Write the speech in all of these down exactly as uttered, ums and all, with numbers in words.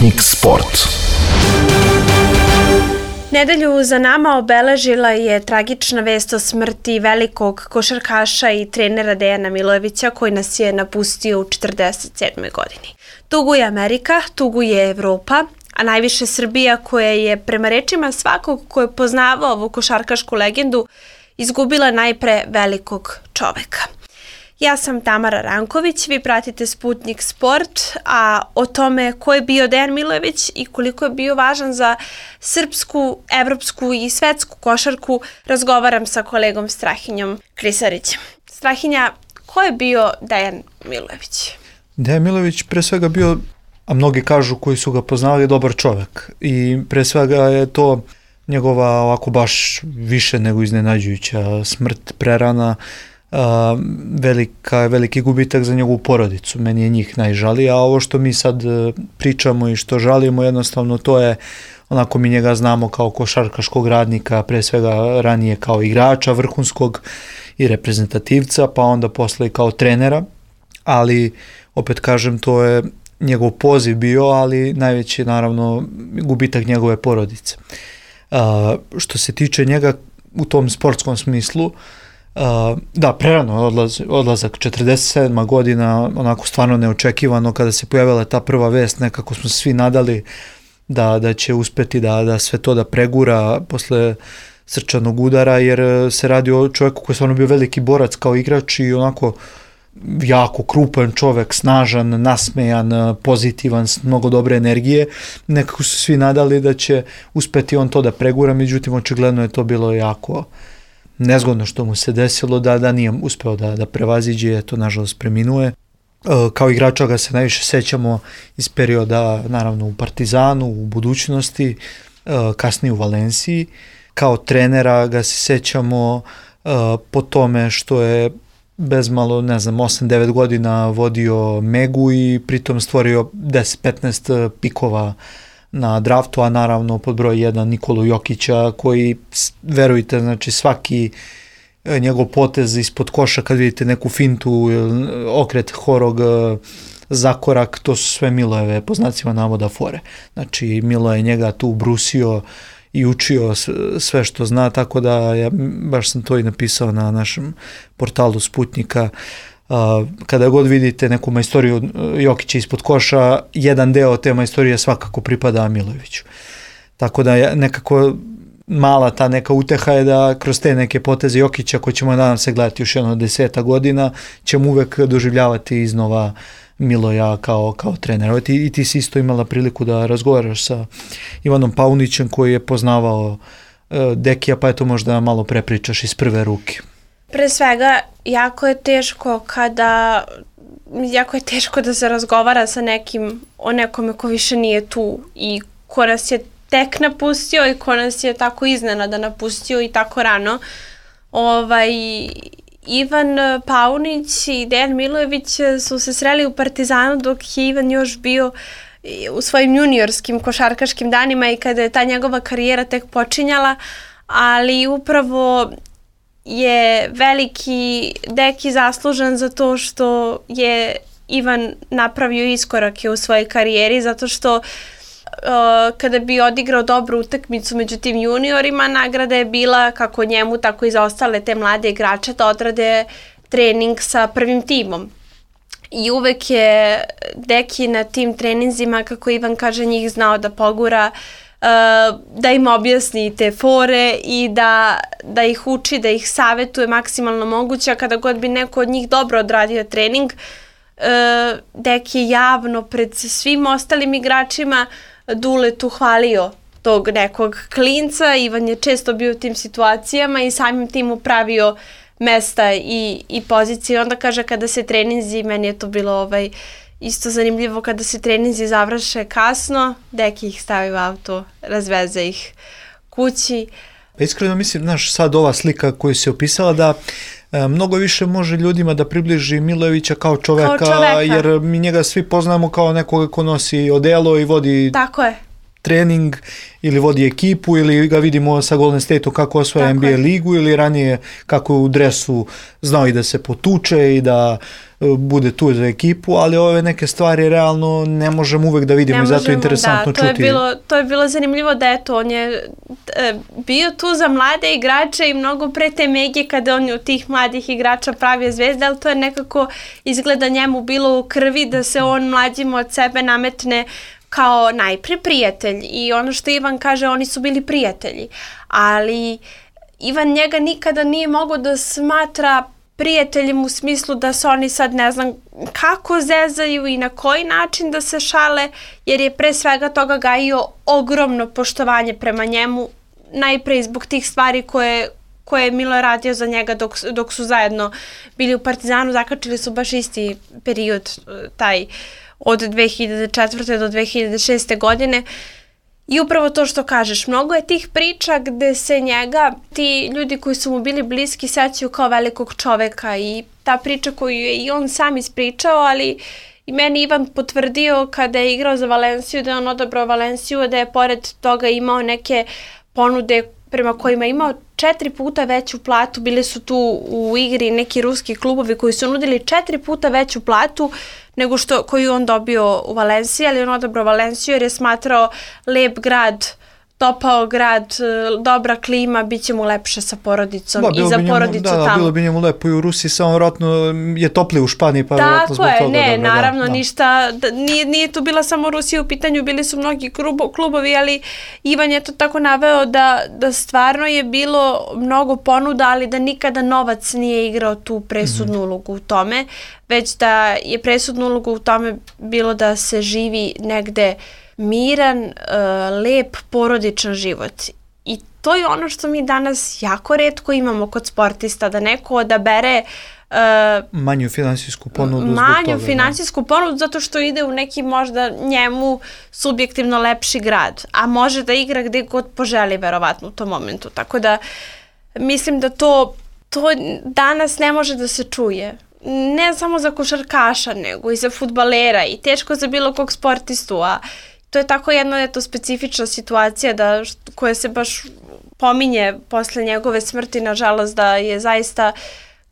Sputnik Sport. Nedelju za nama obeležila je tragična vest o smrti velikog košarkaša i trenera Dejana Milojevića koji nas je napustio u četrdeset sedmoj godini. Tuguje Amerika, tuguje Evropa, a najviše Srbija koja je prema rečima svakog ko je poznavao ovu košarkašku legendu izgubila najpre velikog čoveka. Ja sam Tamara Ranković, vi pratite Sputnik Sport, a o tome ko je bio Dejan Milojević i koliko je bio važan za srpsku, evropsku i svetsku košarku razgovaram sa kolegom Strahinjom Krisarićem. Strahinja, ko je bio Dejan Milojević? Dejan Milojević pre svega bio, a mnogi kažu koji su ga poznavali, dobar čovek. I pre svega je to njegova ovako baš više nego iznenađujuća smrt prerana. Uh, velika, veliki gubitak za njegovu porodicu, meni je njih najžalije, a ovo što mi sad uh, pričamo i što žalimo jednostavno to je onako mi njega znamo kao košarkaškog radnika, pre svega ranije kao igrača vrhunskog i reprezentativca, pa onda posle kao trenera, ali opet kažem to je njegov poziv bio, ali najveći naravno gubitak njegove porodice. Uh, što se tiče njega u tom sportskom smislu, Uh, da, prerano odlaz, odlazak, četrdeset sedma godina, onako stvarno neočekivano kada se pojavila ta prva vest, nekako smo se svi nadali da, da će uspeti da, da sve to da pregura posle srčanog udara, jer se radi o čovjeku koji je stvarno bio veliki borac kao igrač i onako jako krupan čovjek, snažan, nasmejan, pozitivan, s mnogo dobre energije. Nekako su svi nadali da će uspeti on to da pregura, međutim očigledno je to bilo jako nezgodno što mu se desilo, da, da nije uspeo da, da prevaziđe, eto, nažalost preminuje. E, kao igrača ga se najviše sećamo iz perioda, naravno, u Partizanu, u budućnosti, e, kasnije u Valenciji. Kao trenera ga se sećamo e, po tome što je bezmalo, ne znam, osam devet godina vodio Megu i pritom stvorio deset petnaest pikova na draftu, a naravno pod broj jedan Nikolu Jokića koji, verujte, znači svaki njegov potez ispod koša kad vidite neku fintu, okret horog, zakorak, to su sve Milojeve po znacima navoda fore. Znači Milo je njega tu brusio i učio sve što zna, tako da ja baš sam to i napisao na našem portalu Sputnika. Uh, kada god vidite neku majstoriju Jokića ispod koša, jedan deo te majstorije svakako pripada Milojeviću. Tako da je nekako mala ta neka uteha je da kroz te neke poteze Jokića, koji ćemo nadam se gledati još jedno deseta godina, ćemo uvek doživljavati iznova Miloja kao, kao trenera. I, I ti si isto imala priliku da razgovaraš sa Ivanom Paunićem koji je poznavao uh, Dekija, pa eto možda malo prepričaš iz prve ruke. Pre svega, jako je teško kada, jako je teško da se razgovara sa nekim o nekome ko više nije tu i ko nas je tek napustio i ko nas je tako iznenada napustio i tako rano. Ovaj, Ivan Paunić i Dejan Milojević su se sreli u Partizanu dok je Ivan još bio u svojim juniorskim košarkaškim danima i kada je ta njegova karijera tek počinjala, ali upravo je veliki Deki zaslužan za to što je Ivan napravio iskorake u svojoj karijeri, zato što uh, kada bi odigrao dobru utakmicu među tim juniorima, nagrada je bila kako njemu, tako i za ostale te mlade igrače da odrade trening sa prvim timom. I uvek je Deki na tim treninzima, kako Ivan kaže, njih znao da pogura, da im objasni te fore i da, da ih uči, da ih savetuje maksimalno moguće, a kada god bi neko od njih dobro odradio trening, Deki je javno pred svim ostalim igračima Duletu hvalio tog nekog klinca. Ivan je često bio u tim situacijama i samim tim upravio mesta i, i pozicije. Onda kaže kada se treninzi, meni je to bilo ovaj isto zanimljivo, kada se treninzi završe kasno, Deki ih stavi u auto, razveze ih kući. Pa iskreno mislim, znaš, sad ova slika koju se opisala da e, mnogo više može ljudima da približi Milojevića kao čoveka, kao čoveka, jer mi njega svi poznamo kao nekoga ko nosi odelo i vodi Tako je. trening ili vodi ekipu ili ga vidimo sa Golden State-u kako osvaja N B A ligu ili ranije kako u dresu znao i da se potuče i da bude tu za ekipu, ali ove neke stvari realno ne možemo uvek da vidimo ne i zato je interesantno da, to čuti. Je bilo, to je bilo zanimljivo da eto, on je e, bio tu za mlade igrače i mnogo pre te Mege kada on je od tih mladih igrača pravio zvezde, ali to je nekako izgleda njemu bilo u krvi da se on mlađima od sebe nametne kao najpre prijatelj i ono što Ivan kaže, oni su bili prijatelji, ali Ivan njega nikada nije mogao da smatra prijateljem u smislu da se oni sad ne znam kako zezaju i na koji način da se šale, jer je pre svega toga gajio ogromno poštovanje prema njemu, najpre zbog tih stvari koje, koje je Milo radio za njega dok, dok su zajedno bili u Partizanu, zakačili su baš isti period, taj od dve hiljade četvrte do dve hiljade šeste godine. I upravo to što kažeš, mnogo je tih priča gde se njega, ti ljudi koji su mu bili bliski, sećaju kao velikog čoveka i ta priča koju je i on sam ispričao, ali i meni Ivan potvrdio kada je igrao za Valenciju, da je on odabrao Valenciju, da je pored toga imao neke ponude prema kojima je imao četiri puta veću platu, bili su tu u igri neki ruski klubovi koji su nudili četiri puta veću platu nego što koju on dobio u Valenciji, ali on odabrao Valenciju jer je smatrao lep grad, topao grad, dobra klima, bit će mu lepše sa porodicom da, i za njemu, porodicu da, tamo. Da, bilo bi njemu lepo i u Rusiji, samo vjerojatno je toplije u Španiji, pa vjerojatno zbog toga. Tako je, ne, dobro, naravno, da, ništa, da, nije, nije tu bila samo Rusija u pitanju, bili su mnogi klubo, klubovi, ali Ivan je to tako naveo da, da stvarno je bilo mnogo ponuda, ali da nikada novac nije igrao tu presudnu mm-hmm. ulogu u tome, već da je presudnu ulogu u tome bilo da se živi negde miran, uh, lep, porodičan život. I to je ono što mi danas jako retko imamo kod sportista, da neko odabere uh, manju finansijsku ponudu zbog manju toga, finansijsku da. ponudu zato što ide u neki možda njemu subjektivno lepši grad, a može da igra gde god poželi verovatno u tom momentu. Tako da mislim da to, to danas ne može da se čuje. Ne samo za košarkaša, nego i za fudbalera i teško za bilo kog sportistu, a to je tako jedna eto, specifična situacija da, koja se baš pominje posle njegove smrti, nažalost, da je zaista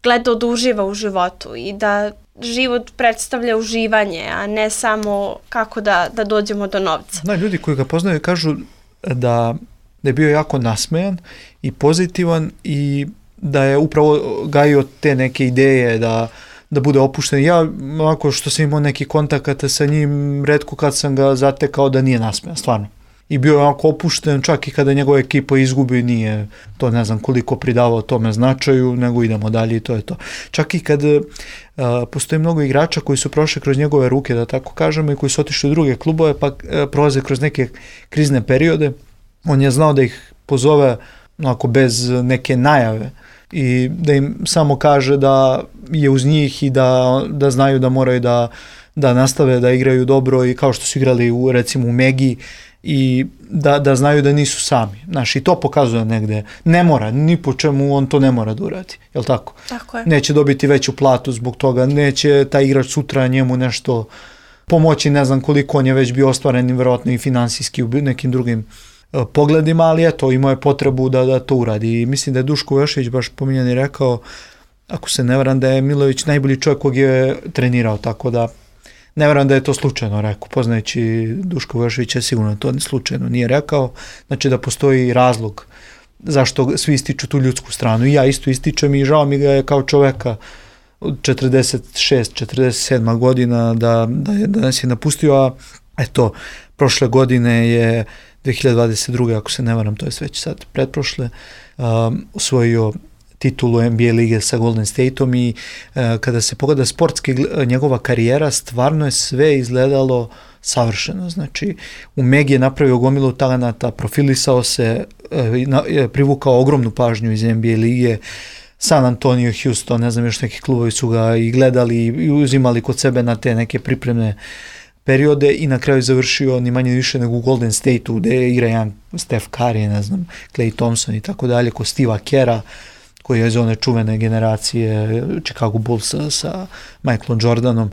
gledao da uživa u životu i da život predstavlja uživanje, a ne samo kako da, da dođemo do novca. Da, ljudi koji ga poznaju kažu da, da je bio jako nasmejan i pozitivan i da je upravo gajio te neke ideje da da bude opušten. Ja, ovako što sam imao neki kontakata sa njim, retko kad sam ga zatekao da nije nasmejan, stvarno. I bio je ovako opušten, čak i kada njegova ekipa izgubi, nije to ne znam koliko pridavao tome značaju, nego idemo dalje i to je to. Čak i kad uh, postoji mnogo igrača koji su prošli kroz njegove ruke, da tako kažemo, i koji su otišli u druge klubove, pa uh, prolaze kroz neke krizne periode, on je znao da ih pozove onako bez neke najave i da im samo kaže da je uz njih i da, da znaju da moraju da, da nastave da igraju dobro i kao što su igrali u, recimo u Megi i da, da znaju da nisu sami. Znaš, i to pokazuje negde. Ne mora, ni po čemu on to ne mora da uradi. Jel tako? Tako je. Neće dobiti veću platu zbog toga, neće taj igrač sutra njemu nešto pomoći, ne znam koliko on je već bio ostvaren vjerojatno i finansijski u nekim drugim pogledima, ali eto, imao je potrebu da, da to uradi. I mislim da je Duško Vujošević baš pominjan i rekao, ako se ne varam, da je Milojević najbolji čovjek kog je trenirao, tako da ne varam da je to slučajno rekao. Poznajući Duško Vujoševića, sigurno to slučajno nije rekao. Znači da postoji razlog zašto svi ističu tu ljudsku stranu. I ja isto ističem i žao mi ga je kao čoveka od četrdeset šest četrdeset sedam godina da, da, je, da nas je napustio, a eto, prošle godine je dve hiljade dvadeset druge ako se ne varam, to je već sad pretprošle, um, osvojio titulu N B A lige sa Golden Stateom i uh, kada se pogleda sportski njegova karijera, stvarno je sve izgledalo savršeno. Znači, u Megi je napravio gomilu talenata, profilisao se, uh, na, privukao ogromnu pažnju iz N B A lige, San Antonio, Houston, ne znam još neki klubovi su ga i gledali i uzimali kod sebe na te neke pripremne periode i na kraju završio ni manje više nego u Golden State-u gde igra jedan Steph Curry, ne znam, Klay Thompson i tako dalje, kod Steve'a Kera koji je iz one čuvene generacije Chicago Bullsa sa Michaelom Jordanom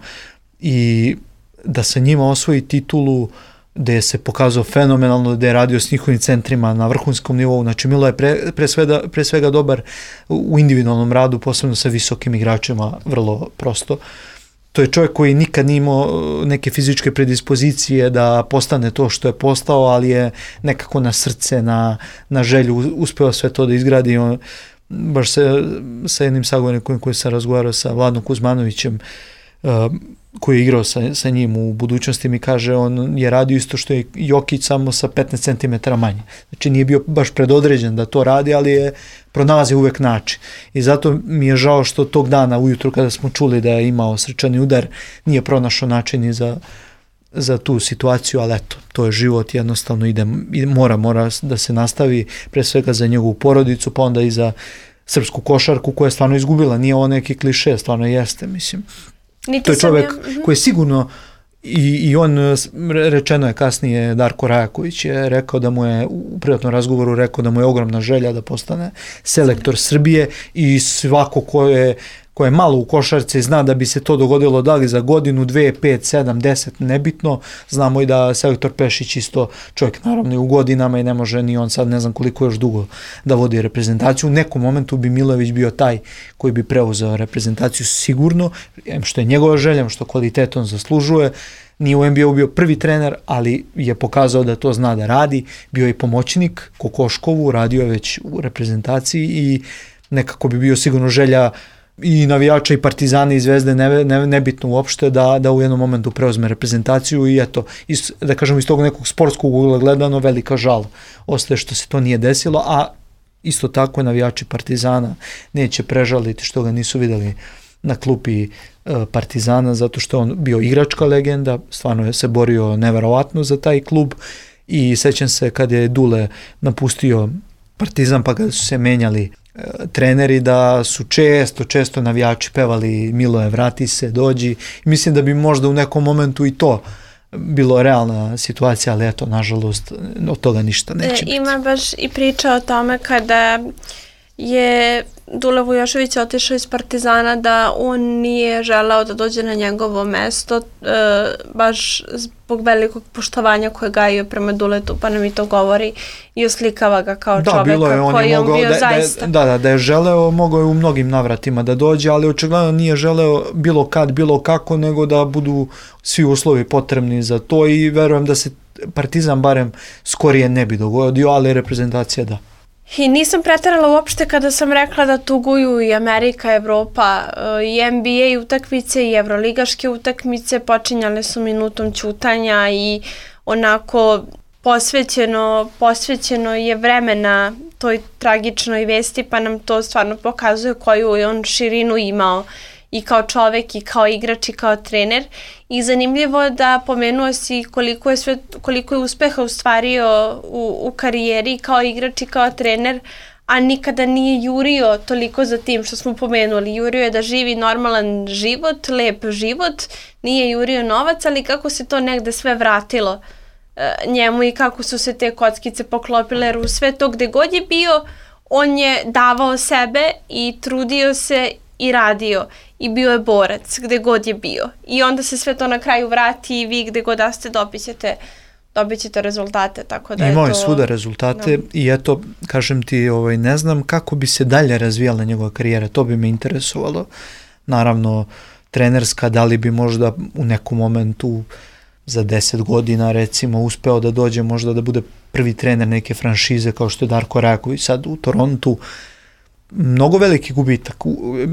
i da sa njima osvoji titulu gde se pokazao fenomenalno, gde je radio s njihovim centrima na vrhunskom nivou. Znači Milo je pre, pre, svega, pre svega dobar u individualnom radu, posebno sa visokim igračima, vrlo prosto. to je čovjek koji nikad nije imao neke fizičke predispozicije da postane to što je postao, ali je nekako na srce, na, na želju uspeo sve to da izgradi. On, baš se, sa jednim sagovornikom koji sam razgovarao sa Vladom Kuzmanovićem, uh, koji je igrao sa, sa njim u budućnosti, mi kaže on je radio isto što je Jokić, samo sa petnaest centimetara manje. Znači nije bio baš predodređen da to radi, ali je pronalazio uvek način. I zato mi je žao što tog dana ujutru kada smo čuli da je imao srčani udar, nije pronašao način i za, za tu situaciju, ali eto, to je život, jednostavno ide, mora, mora da se nastavi, pre svega za njegovu porodicu, pa onda i za srpsku košarku koja je stvarno izgubila. Nije ovo neki kliše, stvarno jeste, mislim. Niti to je čovjek ja, koji je sigurno, i, i on, rečeno je kasnije, Darko Rajaković je rekao da mu je, u privatnom razgovoru rekao da mu je ogromna želja da postane selektor Srbije i svako ko je, ko je malo u košarci zna da bi se to dogodilo da li za godinu, dve, pet, sedam, deset, nebitno. Znamo i da selektor Pešić isto čovjek naravno i u godinama i ne može ni on sad ne znam koliko još dugo da vodi reprezentaciju. U nekom momentu bi Milojević bio taj koji bi preuzeo reprezentaciju sigurno, što je njegova želja, što kvalitetom zaslužuje. Nije u N B A-u bio prvi trener, ali je pokazao da to zna da radi. Bio je i pomoćnik Kokoškovu, radio je već u reprezentaciji i nekako bi bio sigurno želja i navijača i Partizana i Zvezde, ne, ne, nebitno uopšte, da, da u jednom momentu preuzme reprezentaciju i eto, iz, da kažemo iz tog nekog sportskog ugla gledano, velika žal ostaje što se to nije desilo, a isto tako navijači Partizana neće prežaliti što ga nisu videli na klupi e, Partizana, zato što on bio igračka legenda, stvarno je se borio neverovatno za taj klub i sećam se kad je Dule napustio Partizan pa kada su se menjali treneri, da su često, često navijači pevali Miloje, vrati se, dođi. Mislim da bi možda u nekom momentu i to bilo realna situacija, ali eto, nažalost, od toga ništa neće biti. Ima baš i priča o tome kada je Dule Vujošević otišao iz Partizana da on nije želeo da dođe na njegovo mesto, e, baš zbog velikog poštovanja koje gajio prema Duletu, pa nam i to govori i oslikava ga kao da, čoveka koji je on bio da, zaista. Da, da, da je želeo, mogao je u mnogim navratima da dođe, ali očigledno nije želeo bilo kad, bilo kako, nego da budu svi uslovi potrebni za to i verujem da se Partizan barem skorije ne bi dogodio, ali reprezentacija da. I nisam preterala uopšte kada sam rekla da tuguju i Amerika, Evropa, i N B A utakmice i evroligaške utakmice počinjale su minutom ćutanja i onako posvećeno, posvećeno je vremena toj tragičnoj vesti, pa nam to stvarno pokazuje koju je on širinu imao i kao čovek i kao igrač i kao trener. I zanimljivo da pomenuo si koliko je, sve, koliko je uspeha ostvario u, u karijeri kao igrač i kao trener, a nikada nije jurio toliko za tim što smo pomenuli. Jurio je da živi normalan život, lep život, nije jurio novac, ali kako se to negde sve vratilo e, njemu i kako su se te kockice poklopile, jer u sve to gde god je bio, on je davao sebe i trudio se i radio i bio je borac gde god je bio i onda se sve to na kraju vrati i vi gde god da ste dobit ćete, dobit ćete rezultate, tako da imao je to... svuda rezultate, no. I eto, kažem ti, ovaj, ne znam kako bi se dalje razvijala njegova karijera, to bi me interesovalo, naravno trenerska, da li bi možda u nekom momentu za deset godina recimo uspeo da dođe možda da bude prvi trener neke franšize kao što je Darko Rajaković sad u Torontu. Mnogo veliki gubitak.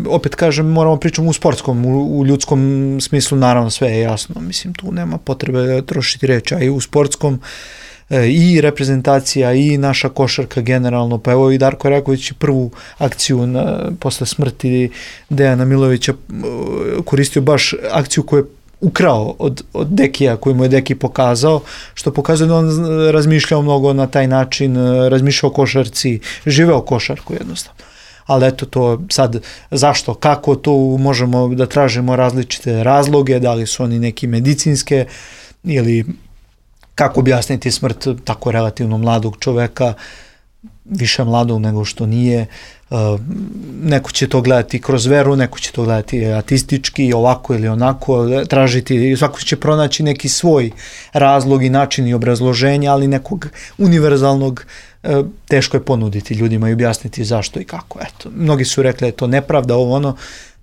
Opet kažem, moramo pričati u sportskom, u, u ljudskom smislu naravno sve je jasno. Mislim, tu nema potrebe trošiti reći, a i u sportskom e, i reprezentacija i naša košarka generalno. Pa evo i Darko Rajaković prvu akciju na, posle smrti Dejana Milojevića koristio baš akciju koju je ukrao od, od Dekija, koju mu je Deki pokazao, što pokazuje da on razmišljao mnogo na taj način, razmišljao o košarci, živeo košarku jednostavno. Ali eto to sad, zašto, kako, to možemo da tražimo različite razloge, da li su oni neki medicinske ili kako objasniti smrt tako relativno mladog čoveka, više mladog nego što nije. Uh, neko će to gledati kroz veru, neko će to gledati atistički, ovako ili onako, tražiti, svako će pronaći neki svoj razlog i način i obrazloženja, ali nekog univerzalnog uh, teško je ponuditi ljudima i objasniti zašto i kako. Eto, mnogi su rekli da je to nepravda, ovo ono,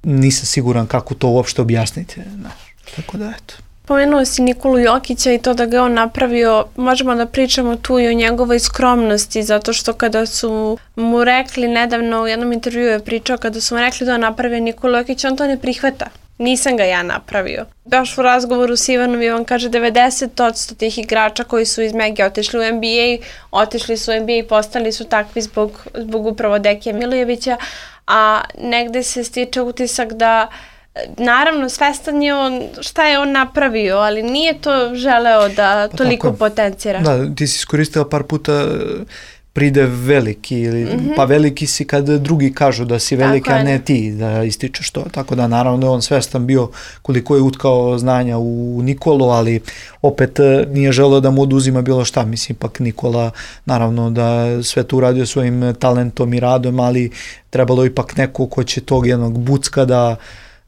nisam siguran kako to uopšte objasniti. Znaš. Tako da, eto. Pomenuo si Nikolu Jokića i to da ga on napravio, možemo da pričamo tu i o njegovoj skromnosti, zato što kada su mu rekli nedavno, u jednom intervjuu je pričao, kada su mu rekli da on napravio Nikolu Jokića, on to ne prihvata. Nisam ga ja napravio. Baš u razgovoru s Ivanom, Ivan kaže devedeset posto tih igrača koji su iz Mege otišli u N B A, otišli su u N B A i postali su takvi zbog, zbog upravo Dekija Milojevića, a negde se stiče utisak da naravno, svestan je on šta je on napravio, ali nije to želeo da pa toliko potencira. Da, ti si iskoristila par puta pride veliki, ili, mm-hmm. pa veliki si kad drugi kažu da si veliki, tako a ne ti da ističeš to. Tako da naravno je on svestan bio koliko je utkao znanja u Nikolu, ali opet nije želeo da mu oduzima bilo šta. Mislim, ipak Nikola naravno da sve to uradio svojim talentom i radom, ali trebalo ipak neko ko će tog jednog bucka da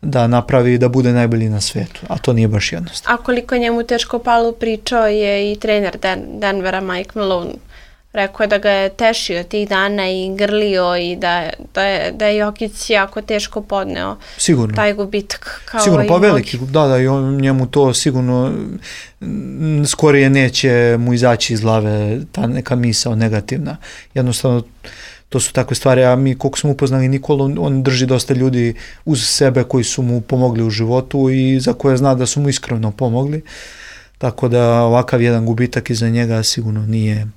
da napravi da bude najbolji na svetu, a to nije baš jednostavno. A koliko njemu teško palo, pričao je i trener Den- Denvera Mike Malone. Rekao je da ga je tešio tih dana i grlio i da, da, je, da je Jokić jako teško podneo sigurno. Taj gubitak. Kao sigurno, pa veliki, da, da, i on, njemu to sigurno skorije neće mu izaći iz glave ta neka misao negativna. Jednostavno, to su takve stvari, a mi koliko smo upoznali Nikolu, on drži dosta ljudi uz sebe koji su mu pomogli u životu i za koje zna da su mu iskreno pomogli. Tako da ovakav jedan gubitak iza njega sigurno nije,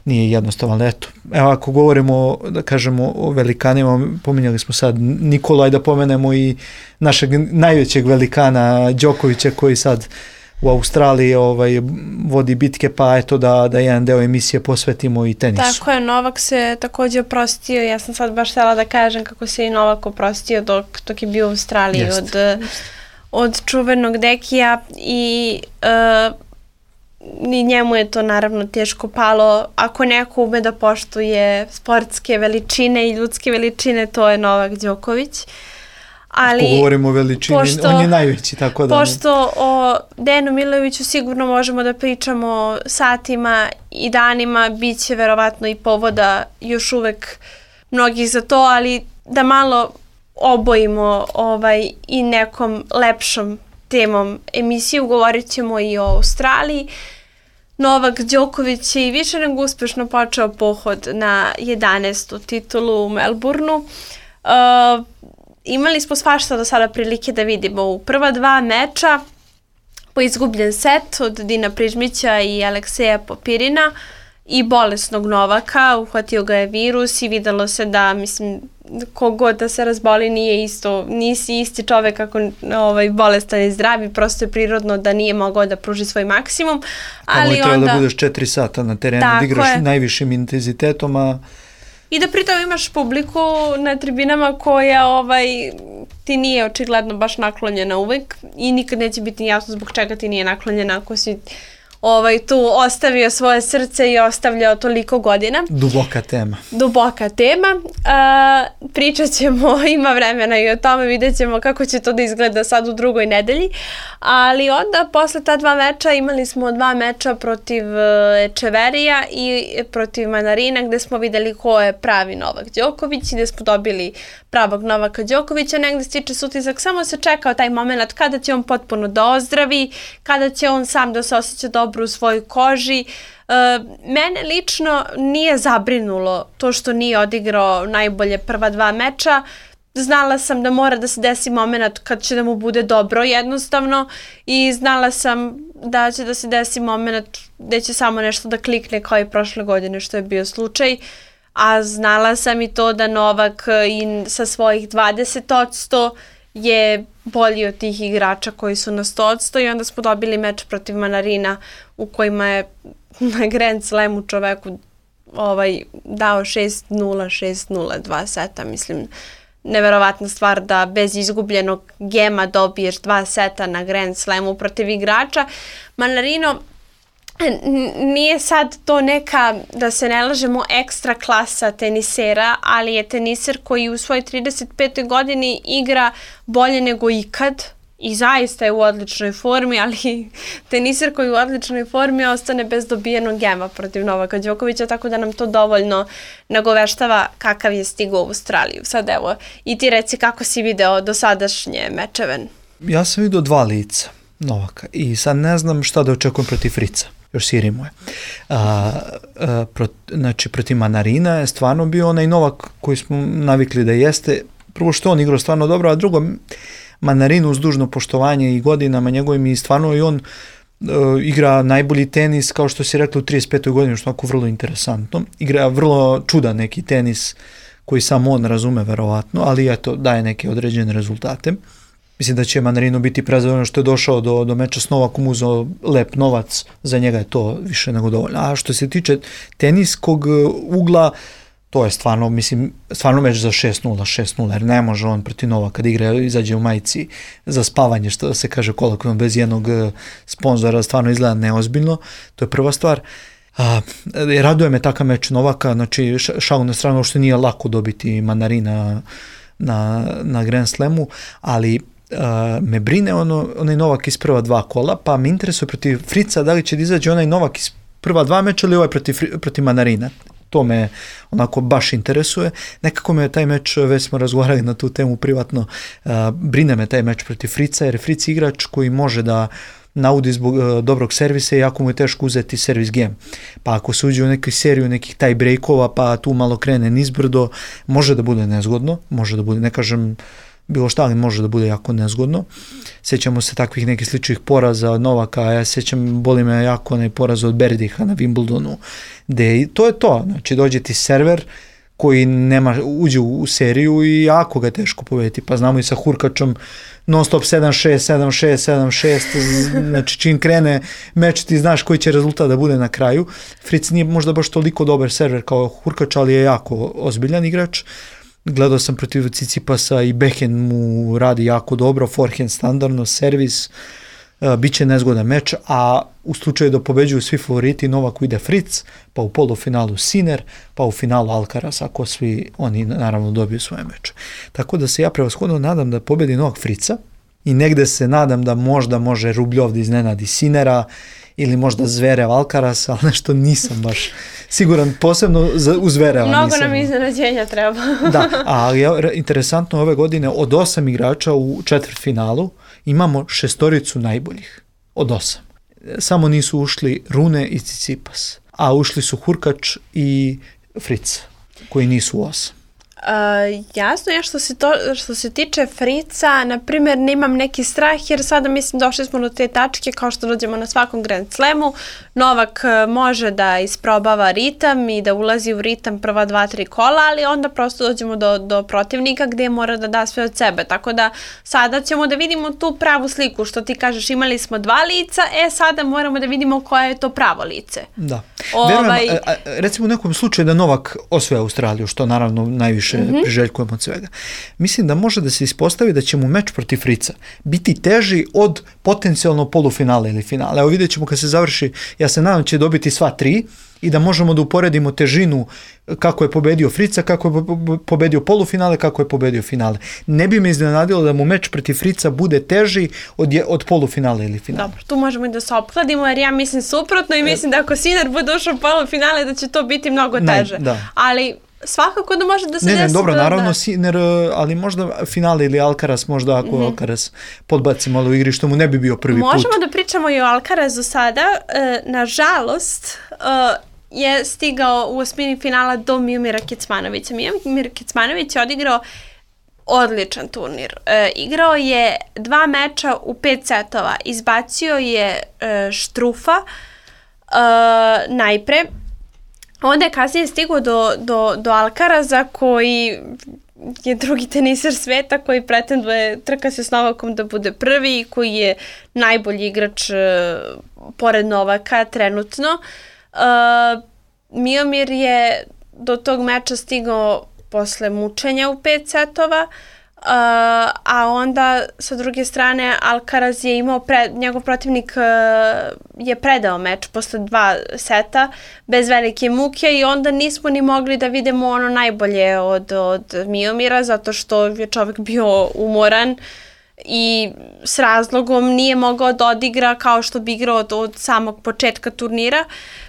nije jednostavan. Eto, evo ako govorimo, da kažemo o velikanima, pominjali smo sad Nikola i da pomenemo i našeg najvećeg velikana Đokovića koji sad u Australiji ovaj, vodi bitke, pa eto da, da jedan deo emisije posvetimo i tenisu. Tako je, Novak se također oprostio, ja sam sad baš htjela da kažem kako se i Novak oprostio dok, dok je bio u Australiji jest, od, jest. od čuvenog Dekija i, uh, i njemu je to naravno teško palo. Ako neko ume da poštuje sportske veličine i ljudske veličine, to je Novak Đoković. Ali, ako govorimo o veličini, pošto, on je najveći, tako da... Pošto o Dejanu Milojeviću sigurno možemo da pričamo satima i danima, bit će verovatno i povoda još uvek mnogih za to, ali da malo obojimo ovaj, i nekom lepšom temom emisiju, govorit ćemo i o Australiji. Novak Đoković je i više nego uspešno počeo pohod na jedanaestu titulu u Melbourneu. Uh, Imali smo svašta do sada prilike da vidimo u prva dva meča, po izgubljen set od Dina Prižmića i Alekseja Popirina i bolesnog Novaka, uhvatio ga je virus i videlo se da, mislim, kogod da se razboli nije isto, nisi isti čovek ako ovaj, bolestan i zdravi, prosto je prirodno da nije mogao da pruži svoj maksimum. Ali onda treba da budeš četiri sata na terenu, da igraš je. najvišim intenzitetom, a... I da pritom imaš publiku na tribinama koja ovaj, ti nije očigledno baš naklonjena uvek i nikad neće biti jasno zbog čega ti nije naklonjena ako si ovaj, tu ostavio svoje srce i ostavljao toliko godina. Duboka tema. Duboka tema. Uh, pričat ćemo, ima vremena i o tome, vidjet ćemo kako će to da izgleda sad u drugoj nedelji. Ali onda, posle ta dva meča, imali smo dva meča protiv Echeverija i protiv Manarina, gde smo videli ko je pravi Novak Đoković i gde smo dobili pravog Novaka Đokovića. Negde stiče se utisak, samo se čekao taj moment kada će on potpuno da ozdravi, kada će on sam da se osjeća dobro u svojoj koži. Uh, mene lično nije zabrinulo to što nije odigrao najbolje prva dva meča. Znala sam da mora da se desi moment kad će da mu bude dobro jednostavno i znala sam da će da se desi moment gde će samo nešto da klikne kao i prošle godine što je bio slučaj. A znala sam i to da Novak i sa svojih dvadeset posto je bolji od tih igrača koji su na sto posto i onda smo dobili meč protiv Manarina u kojima je na Grand Slamu čoveku ovaj, dao šest nula, šest nula, dva seta. Mislim, neverovatna stvar da bez izgubljenog gema dobiješ dva seta na Grand Slamu protiv igrača. Manarino nije sad to neka, da se ne lažemo, ekstra klasa tenisera, ali je teniser koji u svojoj trideset petoj godini igra bolje nego ikad i zaista je u odličnoj formi, ali teniser koji je u odličnoj formi ostane bez dobijenog gema protiv Novaka Đokovića, tako da nam to dovoljno nagoveštava kakav je stigao u Australiju. Sad evo, i ti reci kako si video dosadašnje mečeve. Ja sam vidio dva lica Novaka i sad ne znam šta da očekujem protiv Frica. Još siri mu je. A, a, prot, znači, protiv Manarina je stvarno bio onaj Novak koji smo navikli da jeste. Prvo što on igrao stvarno dobro, a drugo, Manarinu uz dužno poštovanje i godinama njegovim i stvarno i on uh, igra najbolji tenis, kao što si rekla, u trideset petoj godini, što je vrlo interesantno. Igra vrlo čudan neki tenis koji samo on razume verovatno, ali eto, daje neke određene rezultate. Mislim da će Manarino biti prezadovoljan što je došao do, do meča s Novakom, uzeo lep novac, za njega je to više nego dovoljno. A što se tiče teniskog ugla, to je stvarno, mislim, stvarno meč za šest nula, šest nula, jer ne može on protiv Novaka da igra, izađe u majici za spavanje, što se kaže kolokvijalno, bez jednog sponzora, stvarno izgleda neozbiljno, to je prva stvar. A, raduje me takav meč Novaka, znači šalu na stranu, što nije lako dobiti Manarina na, na Grand Slamu, ali Uh, me brine ono, onaj Novak iz prva dva kola, pa me interesuje protiv Frica da li će da izađe onaj Novak iz prva dva meča ili ovaj protiv, protiv Manarina. To me onako baš interesuje. Nekako me taj meč, već smo razgovarali na tu temu privatno, uh, brine me taj meč protiv Frica, jer je Fric igrač koji može da naudi zbog uh, dobrog servisa i jako mu je teško uzeti servis game. Pa ako se uđe u neku seriju nekih taj breakova, pa tu malo krene nizbrdo, može da bude nezgodno, može da bude, ne kažem bilo šta, ali može da bude jako nezgodno. Sjećamo se takvih nekih sličnih poraza od Novaka, ja sjećam, boli me jako onaj poraz od Berdiha na Wimbledonu, gde to je to, znači dođe ti server koji nema, uđe u seriju i jako ga teško pobediti, pa znamo i sa Hurkačom non stop sedam šest, sedam šest, sedam šest, znači čim krene meč ti znaš koji će rezultat da bude na kraju. Fric nije možda baš toliko dobar server kao Hurkač, ali je jako ozbiljan igrač. Gledao sam protiv Cicipasa i backhand mu radi jako dobro, forehand standardno, servis, uh, bit će nezgodan meč, a u slučaju da pobeđuju svi favoriti, Novaku ide Fric, pa u polufinalu Sinner, pa u finalu Alcaraz, ako svi oni naravno dobiju svoje meče. Tako da se ja prevashodno nadam da pobedi Novak Frica i negde se nadam da možda može Rubljov da iznenadi Sinnera ili možda Zverev Alcaraz, ali nešto nisam baš siguran, posebno za, u Zvereva Mnogo nisam. Mnogo nam iznenađenja treba. Da, ali interesantno ove godine od osam igrača u četvrtfinalu imamo šestoricu najboljih. Od osam. Samo nisu ušli Rune i Tsitsipas, a ušli su Hurkač i Fric, koji nisu u osam. Uh, jasno je što se, to, što se tiče Frica, na primjer, nemam neki strah, jer sada mislim došli smo do te tačke kao što dođemo na svakom Grand Slamu. Novak može da isprobava ritam i da ulazi u ritam prva dva, tri kola, ali onda prosto dođemo do, do protivnika gdje mora da da sve od sebe. Tako da sada ćemo da vidimo tu pravu sliku, što ti kažeš, imali smo dva lica, e sada moramo da vidimo koje je to pravo lice. Da. Ovaj... Verujem, a, a, recimo u nekom slučaju da Novak osvoje Australiju, što naravno najviše mm-hmm. priželjkujem od svega. Mislim da može da se ispostavi da će mu meč protiv Frica biti teži od potencijalno polufinala ili finala. Evo vidjet ćemo kad se završi, ja se nadam će dobiti sva tri i da možemo da uporedimo težinu kako je pobedio Frica, kako je pobedio polufinale, kako je pobedio finale. Ne bi me iznenadilo da mu meč protiv Frica bude teži od, je, od polufinale ili finale. Dobro, tu možemo i da se opkladimo, jer ja mislim suprotno i mislim da ako Sinner bude ušao u polufinale da će to biti mnogo teže. Ne, ali svakako da može da se ne, desi. Ne, dobro, da, naravno da. Sinner, ali možda finale ili Alcaraz, možda ako mm-hmm. Alcaraz podbaci malo u igri, što mu ne bi bio prvi Možemo put. Možemo da pričamo i o Alcarazu sada. E, nažalost, e, je stigao u osmini finala do Miomira Kecmanovića. Miomir Kecmanović je odigrao odličan turnir. E, igrao je dva meča u pet setova. Izbacio je e, Štrufa e, najpre. Onda je kasnije stigao do, do, do Alcaraza, koji je drugi teniser sveta, koji pretenduje, trka se s Novakom da bude prvi, koji je najbolji igrač uh, pored Novaka trenutno. Uh, Miomir je do tog meča stigao posle mučenja u pet setova, Uh, a onda sa druge strane Alcaraz je imao, pre, njegov protivnik uh, je predao meč posle dva seta bez velike muke i onda nismo ni mogli da vidimo ono najbolje od, od Miomira, zato što je čovjek bio umoran i s razlogom nije mogao da odigra kao što bi igrao od, od samog početka turnira.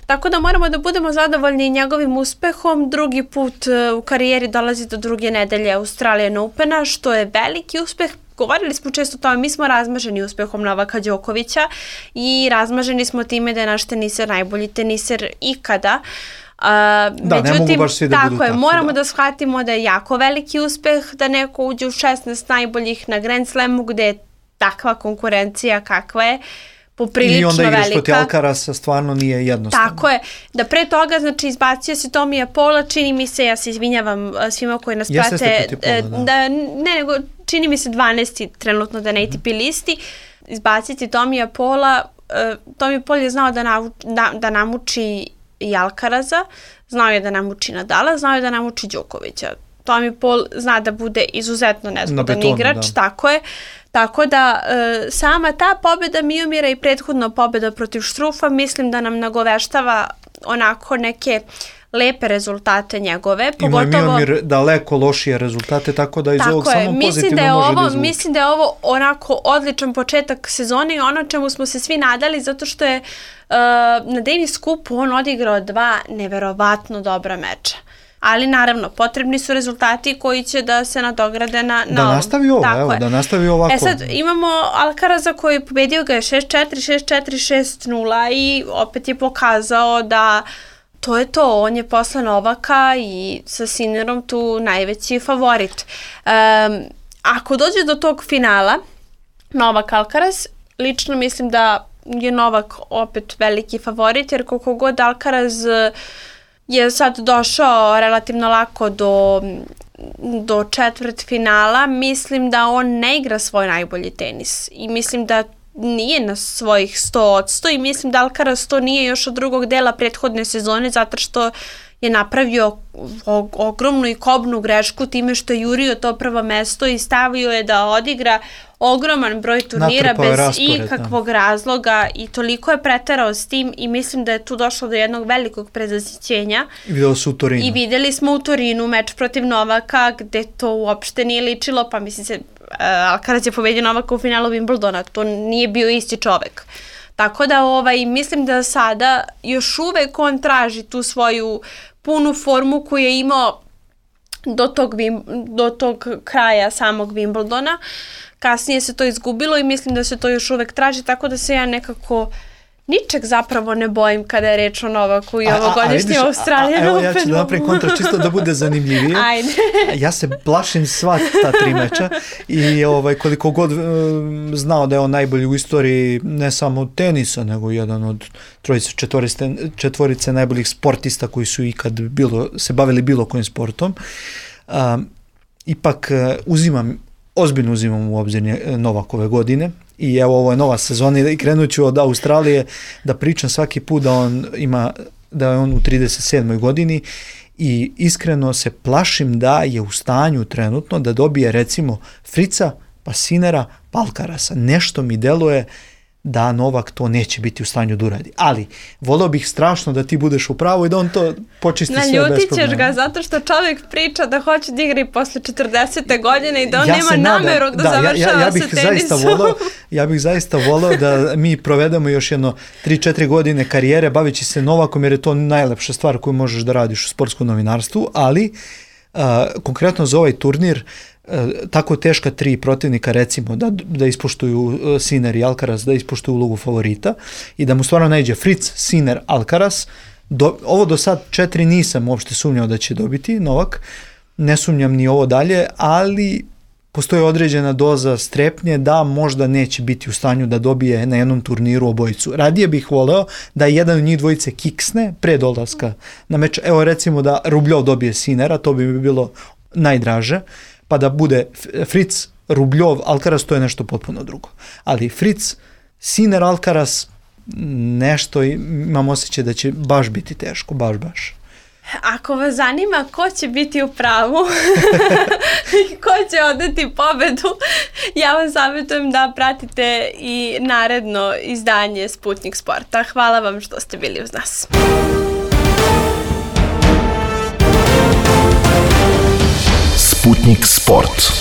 Tako da moramo da budemo zadovoljni njegovim uspehom. Drugi put u karijeri dolazi do druge nedelje Australian Opena, što je veliki uspeh. Govorili smo često o tome, mi smo razmaženi uspehom Novaka Đokovića i razmaženi smo time da je naš teniser najbolji teniser ikada. Uh, da, međutim, ne mogu baš svi da tako budu je, tako. moramo da. da shvatimo da je jako veliki uspeh da neko uđe u šesnaest najboljih na Grand Slamu gde je takva konkurencija kakva je, poprilično velika. I onda igraš protiv Alcarasa, stvarno nije jednostavno. Tako je. Da pre toga, znači, izbacio se Tomija Paula, čini mi se, ja se izvinjavam svima koji nas Jeste prate, protiv Paula, da. da, ne, nego čini mi se dvanaesti trenutno da na A T P listi, izbaciti Tomija Paula, uh, Tomi Paul je znao da, navu, da, da namuči i Alcaraza, znao je da namuči Nadala, znao je da namuči Đokovića. Tommy Paul zna da bude izuzetno nezgodan igrač, da. Tako je. Tako da e, sama ta pobjeda Miomira i prethodna pobjeda protiv Štrufa mislim da nam nagoveštava onako neke lepe rezultate njegove. Pogotovo, ima Miomir daleko lošije rezultate, tako da iz tako ovog je. samo Mislim pozitivno da je može ovo, da izvuče. Mislim da je ovo onako odličan početak sezone i ono čemu smo se svi nadali, zato što je uh, na Davis Cupu on odigrao dva neverovatno dobra meča. Ali naravno, potrebni su rezultati koji će da se nadograde na, na da nastavi ovo, tako evo, je. da nastavi ovako. E sad, imamo Alcaraza koji pobedio ga je šest četiri, šest četiri, šest nula i opet je pokazao da to je to, on je posle Novaka i sa Sinnerom tu najveći favorit. Um, ako dođe do tog finala, Novak Alcaraz, lično mislim da je Novak opet veliki favorit, jer koliko god Alcaraz je sad došao relativno lako do, do četvrt finala, mislim da on ne igra svoj najbolji tenis i mislim da nije na svojih sto odsto i mislim da Alcaraz to nije još od drugog dela prethodne sezone zato što je napravio ogromnu i kobnu grešku time što je jurio to prvo mesto i stavio je da odigra ogroman broj turnira Natrpao bez raspored, ikakvog da. razloga i toliko je preterao s tim i mislim da je tu došlo do jednog velikog prezasićenja. I videli su u Torinu. I videli smo u Torinu meč protiv Novaka gde to uopšte nije ličilo, pa mislim se, uh, Alcaraz je pobedio Novaka u finalu Wimbledona, to nije bio isti čovek. Tako da ovaj, mislim da sada još uvek on traži tu svoju punu formu koju je imao do tog, do tog kraja samog Wimbledona. Kasnije se to izgubilo i mislim da se to još uvek traži, tako da se ja nekako ničeg zapravo ne bojim kada je reč o Novaku i ovogodišnjem Australian Openu. Evo ja ću da napravim kontra čisto da bude zanimljivije. Ajde. Ja se plašim sva ta tri meča i ovaj, koliko god um, znao da je on najbolji u istoriji ne samo tenisa, nego jedan od trojice, četvorice, četvorice najboljih sportista koji su ikad bilo, se bavili bilo kojim sportom. Um, ipak uh, uzimam, ozbiljno uzimam u obzir Novakove godine. I evo, ovo je nova sezona i krenut ću od Australije da pričam svaki put da on ima, da je on u trideset sedmoj godini i iskreno se plašim da je u stanju trenutno da dobije recimo Frica, pa Sinnera, pa Alcarasa. Nešto mi deluje da Novak to neće biti u stanju da uradi. Ali, volio bih strašno da ti budeš u pravu i da on to počisti sve bez problema. Naljutit ćeš ga zato što čovjek priča da hoće da igra i posle četrdesete godine i da on ja nema nameru da, da završava ja, ja, ja bih sa tenisom. Zaista volao, ja bih zaista volao da mi provedemo još jedno tri četiri godine karijere bavići se Novakom jer je to najlepša stvar koju možeš da radiš u sportskom novinarstvu, ali uh, konkretno za ovaj turnir tako teška tri protivnika recimo da, da ispoštuju Sinner i Alcaraz, da ispoštuju ulogu favorita i da mu stvarno najde Fritz, Sinner, Alcaraz. Do, ovo do sad četiri nisam uopšte sumnjao da će dobiti Novak, ne sumnjam ni ovo dalje, ali postoji određena doza strepnje da možda neće biti u stanju da dobije na jednom turniru obojicu. Radije bih voleo da jedan od njih dvojice kiksne pre dolaska na meč. Evo recimo da Rubljov dobije Sinnera, to bi mi bilo najdraže, pa da bude Fritz, Rubljov, Alcaraz, to je nešto potpuno drugo. Ali Fritz, Sinner, Alcaraz, nešto imam osjećaj da će baš biti teško, baš, baš. Ako vas zanima ko će biti u pravu i ko će odati pobedu, ja vam savjetujem da pratite i naredno izdanje Sputnik Sporta. Hvala vam što ste bili uz nas. Sputnik Sport.